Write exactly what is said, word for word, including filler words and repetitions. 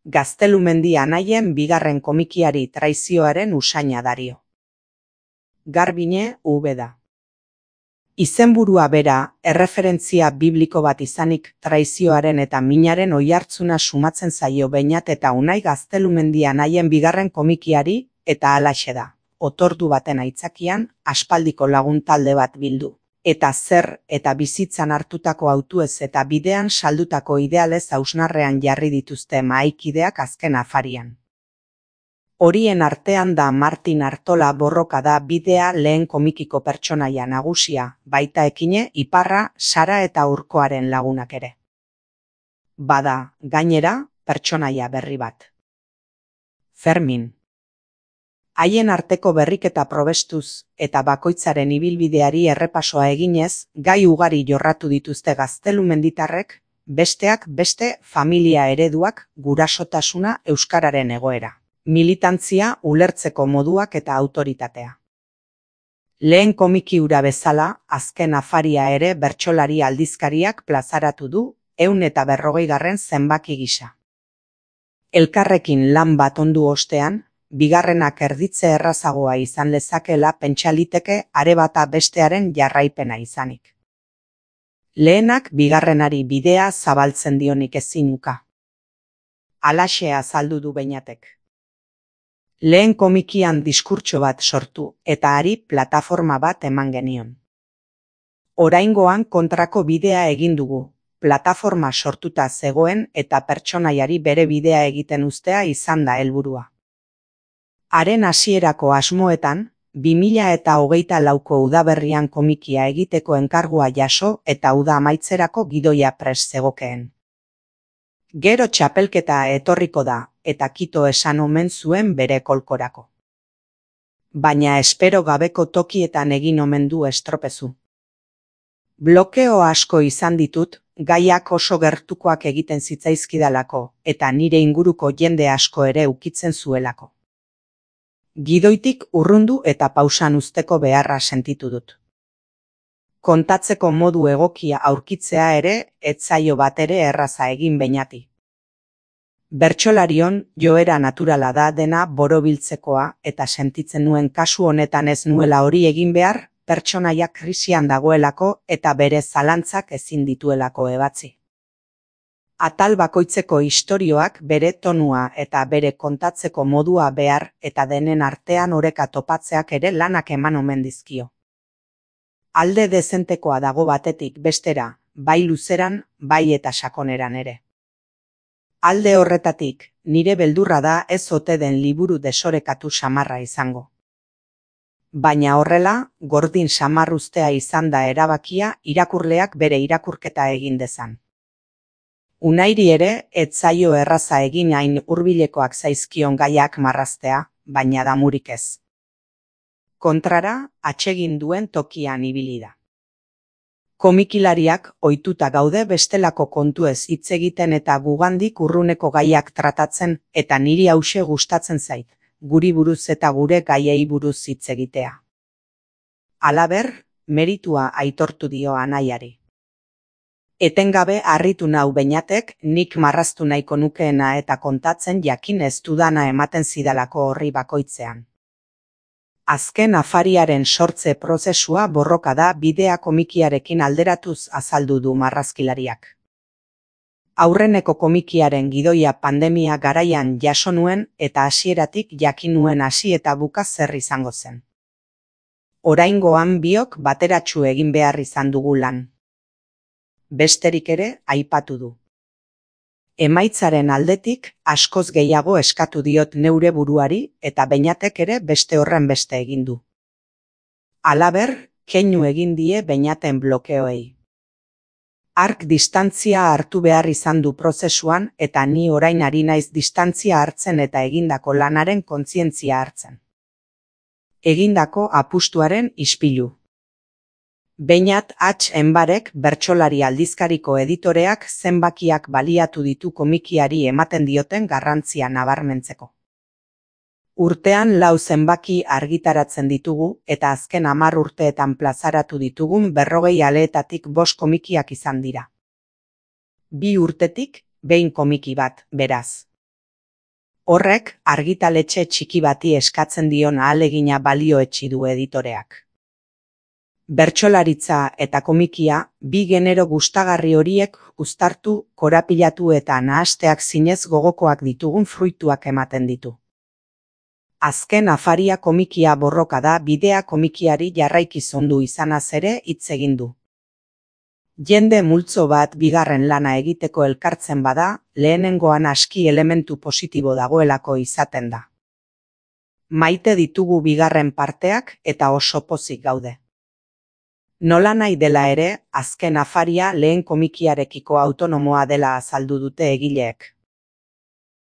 Gaztelumendi anaien bigarren komikiari traizioaren usaina dario. Garbine Ubeda. Izenburua bera, erreferentzia bibliko bat izanik traizioaren eta minaren oihartzuna sumatzen zaio Beñat eta Unai Gaztelumendi anaien bigarren komikiari, eta halaxe da. Otordu baten aitzakian, aspaldiko lagun talde bat bildu. Eta zer eta bizitzan hartutako hautuez eta bidean saldutako idealez hausnarrean jarri dituzte mahaikideak azken afarian. Horien artean da Martin Artola Borroka da bidea lehen komikiko pertsonaia nagusia, baita ekine, iparra, Sara eta Urkoaren lagunak ere. Bada, gainera, pertsonaia berri bat. Fermin. Haien arteko berriketa probestuz eta bakoitzaren ibilbideari errepasoa eginez, gai ugari jorratu dituzte gaztelumenditarrek, besteak beste familia ereduak, gurasotasuna, euskararen egoera, militantzia, ulertzeko moduak eta autoritatea. Lehen komiki hura bezala, azken afaria ere bertsolari aldizkariak plazaratu du, ehun eta berrogeigarren zenbaki gisa. Elkarrekin lan bat ondu ostean, bigarrenak erditze errazagoa izan lezakela pentsa liteke are bata bestearen jarraipena izanik. Lehenak bigarrenari bidea zabaltzen dionik ezinuka. Halaxe azaldu du Beñatek. Lehen komikian diskurtso bat sortu eta hari plataforma bat eman genion. Oraingoan kontrako bidea egin dugu, plataforma sortuta zegoen eta pertsonaiari bere bidea egiten uztea izan da helburua. Haren hasierako asmoetan, bi mila eta hogeita lauko udaberrian komikia egiteko enkargua jaso eta uda amaitzerako gidoia prest zegokeen. Gero txapelketa etorriko da, eta kito esan omen zuen bere kolkorako. Baina espero gabeko tokietan egin omen du estropezu. Blokeo asko izan ditut, gaiak oso gertukoak egiten zitzaizkidalako, eta nire inguruko jende asko ere ukitzen zuelako. Gidoitik urrundu eta pausan uzteko beharra sentitu dut. Kontatzeko modu egokia aurkitzea ere, ez zaio bat ere erraza egin Beñati. Bertsolarion joera naturala da dena borobiltzekoa eta sentitzen nuen kasu honetan ez nuela hori egin behar, pertsonaia krisian dagoelako eta bere zalantzak ezin dituelako ebatzi. Atal bakoitzeko istorioak bere tonua eta bere kontatzeko modua behar eta denen artean oreka topatzeak ere lanak eman omen dizkio. Alde dezentekoa dago batetik bestera, bai luzeran, bai eta sakoneran ere. Alde horretatik, nire beldurra da ez ote den liburu desorekatu samarra izango. Baina horrela, gordin samarruztea izan da erabakia irakurleak bere irakurketa egin dezan. Unairi ere, ez zaio erraza egin hain hurbilekoak zaizkion gaiak marraztea, baina damurik ez. Kontrara, atsegin duen tokian ibili da. Komikilariak ohituta gaude bestelako kontuez hitz egiten eta gugandik urruneko gaiak tratatzen eta niri hauxe gustatzen zait, guri buruz eta gure gaiei buruz hitz egitea. Halaber, meritua aitortu dio anaiari. Etengabe harritu nau Beñatek nik marraztu nahiko nukeena eta kontatzen jakin ez dudana ematen zidalako horri bakoitzean. Azken afariaren sortze prozesua Borroka da bidea komikiarekin alderatuz azaldu du marrazkilariak. Aurreneko komikiaren gidoia pandemia garaian jaso nuen eta hasieratik jakin nuen hasi eta buka zer izango zen. Oraingoan biok bateratsu egin behar izan dugu lan. Besterik ere aipatu du. Emaitzaren aldetik askoz gehiago eskatu diot neure buruari eta Beñatek ere beste horren beste egin du. Halaber, keinu egin die Beñaten blokeoei. Hark distantzia hartu behar izan du prozesuan eta ni orain ari naiz distantzia hartzen eta egindako lanaren kontzientzia hartzen. Egindako apustuaren ispilu. Beñat H. Enbarek bertsolari aldizkariko editoreak zenbakiak baliatu ditu komikiari ematen dioten garrantzia nabarmentzeko. Urtean lau zenbaki argitaratzen ditugu eta azken hamar urteetan plazaratu ditugun berrogei aleetatik bost komikiak izan dira. Bi urtetik, behin komiki bat, beraz. Horrek argitaletxe txiki bati eskatzen dion ahalegina balioetsi du editoreak. Bertsolaritza eta komikia, bi genero gustagarri horiek uztartu, korapilatu eta nahasteak zinez gogokoak ditugun fruituak ematen ditu. Azken afaria komikia borroka da bidea komikiari jarraiki zondu izanaz ere hitz egin du. Jende multzo bat bigarren lana egiteko elkartzen bada, lehenengoan aski elementu positibo dagoelako izaten da. Maite ditugu bigarren parteak eta oso pozik gaude. Nola nahi dela ere, azken afaria lehen komikiarekiko autonomoa dela azaldu dute egileek.